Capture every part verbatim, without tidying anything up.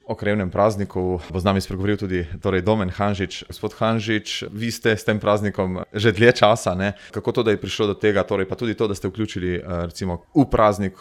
O krajevnem prazniku bo z nami spregovoril tudi torej Domen Hanžič. Gospod Hanžič, vi ste s tem praznikom že dlje časa, ne? Kako to, da je prišlo do tega, torej pa tudi to, da ste vključili recimo v praznik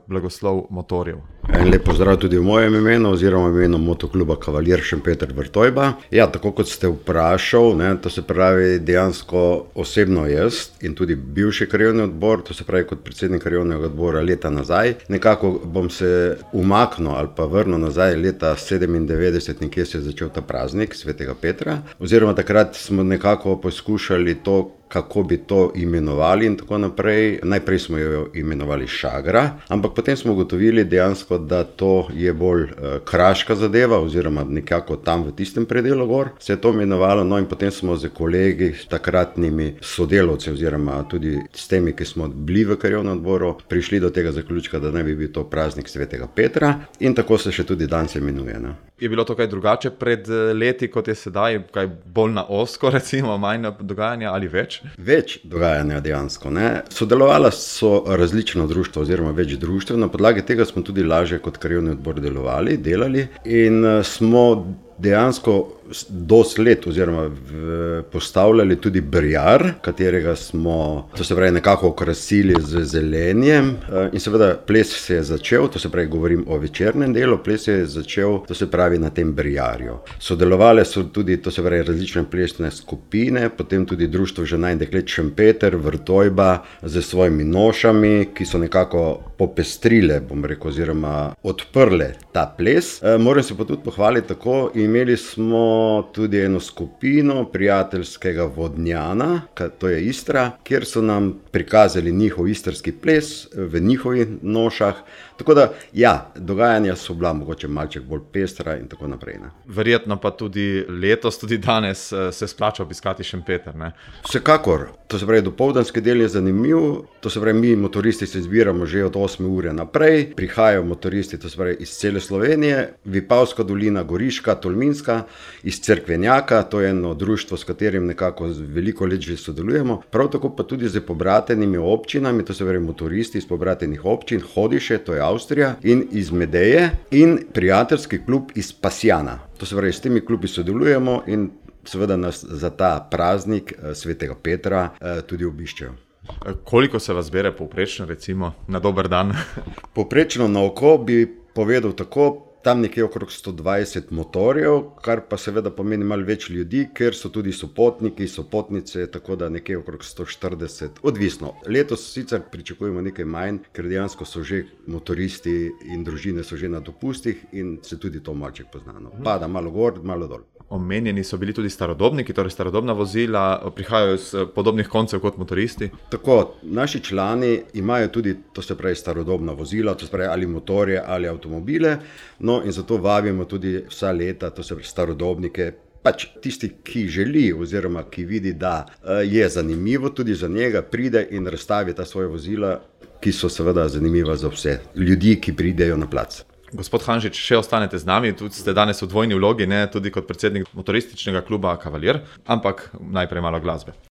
blagoslov motorjev? En lep pozdrav tudi v mojem imenu oziroma v imenu motokluba Kavalir Šempeter Vrtojba. Ja, tako kot ste vprašal, ne, to se pravi dejansko osebno jaz in tudi bivši krajevni odbor, to se pravi kot predsednik krajevnega odbora leta nazaj. Nekako bom se umaknil ali pa vrnil nazaj leta sedemindevetdeset, nekje se je začel ta praznik svetega Petra, oziroma takrat smo nekako poskušali to, kako bi to imenovali in tako naprej. Najprej smo jo imenovali Šagra, ampak potem smo ugotovili dejansko, da to je bolj uh, kraška zadeva oziroma nekako tam v tistem predelu gor se je to imenovalo, no in potem smo z kolegi, takratnimi sodelavci oziroma tudi s temi, ki smo bili v krajevnem odboru, prišli do tega zaključka, da naj bi bil to praznik svetega Petra in tako se še tudi danes imenuje. Ne? Je bilo to kaj drugače pred leti, kot je sedaj, kaj bolj na ozko recimo, manj dogajanja ali več? Več dogajanja dejansko. Ne? Sodelovala so različna društva oziroma več društev, na podlagi tega smo tudi lažje kot krajevni odbor delovali, delali in smo dejansko dosti let oziroma v, postavljali tudi brjar, katerega smo, to se pravi, nekako okrasili z zelenjem in seveda ples se je začel, to se pravi, govorim o večernem delu, ples se je začel, to se pravi, na tem brjarju. Sodelovali so tudi, to se pravi, različne plesne skupine, potem tudi društvo žena in deklet Šempeter, Vrtojba z svojimi nošami, ki so nekako popestrile, bom rekel, oziroma odprle ta ples. E, moram se pa tudi pohvaliti tako, imeli smo tudi eno skupino prijateljskega Vodnjana, to je Istra, kjer so nam prikazali njihov istrski ples v njihovih nošah. Tako da, ja, dogajanja so bila mogoče malček bolj pestra in tako naprej. Ne. Verjetno pa tudi letos, tudi danes se splača obiskati Šempeter, ne? Vsekakor. To se pravi, dopoldanski del je zanimiv, to se pravi, mi motoristi se zbiramo že od osme ure naprej, prihajajo motoristi, to se pravi, iz cele Slovenije, Vipavska dolina, Goriška, Tolminska, iz Cerkvenjaka, to je eno društvo, s katerim nekako veliko let že sodelujemo, prav tako pa tudi z pobratenimi občinami, to se pravi, motoristi iz pobratenih občin, Hodiše, to je Avstrija, in iz Medeje in prijateljski klub iz Pasjana. To se pravi, s temi klubi sodelujemo in seveda nas za ta praznik svetega Petra tudi obiščejo. Koliko se vas zbere povprečno recimo na dober dan? Povprečno na oko bi povedal tako, tam nekje okrog sto dvajset motorjev, kar pa seveda pomeni malo več ljudi, ker so tudi sopotniki, sopotnice, tako da nekje okrog sto štirideset, odvisno. Letos sicer pričakujemo nekaj manj, ker dejansko so že motoristi in družine so že na dopustih in se tudi to malček poznano. Pada malo gor, malo dol. Omenjeni so bili tudi starodobniki, torej starodobna vozila, prihajajo iz podobnih koncev kot motoristi? Tako, naši člani imajo tudi, to se pravi, starodobna vozila, to se pravi, ali motorje ali avtomobile, no in zato vabimo tudi vsa leta, to se pravi, starodobnike, pač tisti, ki želi oziroma ki vidi, da je zanimivo tudi za njega, pride in razstavi ta svoje vozila, ki so seveda zanimiva za vse ljudi, ki pridejo na plac. Gospod Hanžič, še ostanete z nami, tudi ste danes v dvojni vlogi, ne, tudi kot predsednik motorističnega kluba Kavalir, ampak najprej malo glasbe.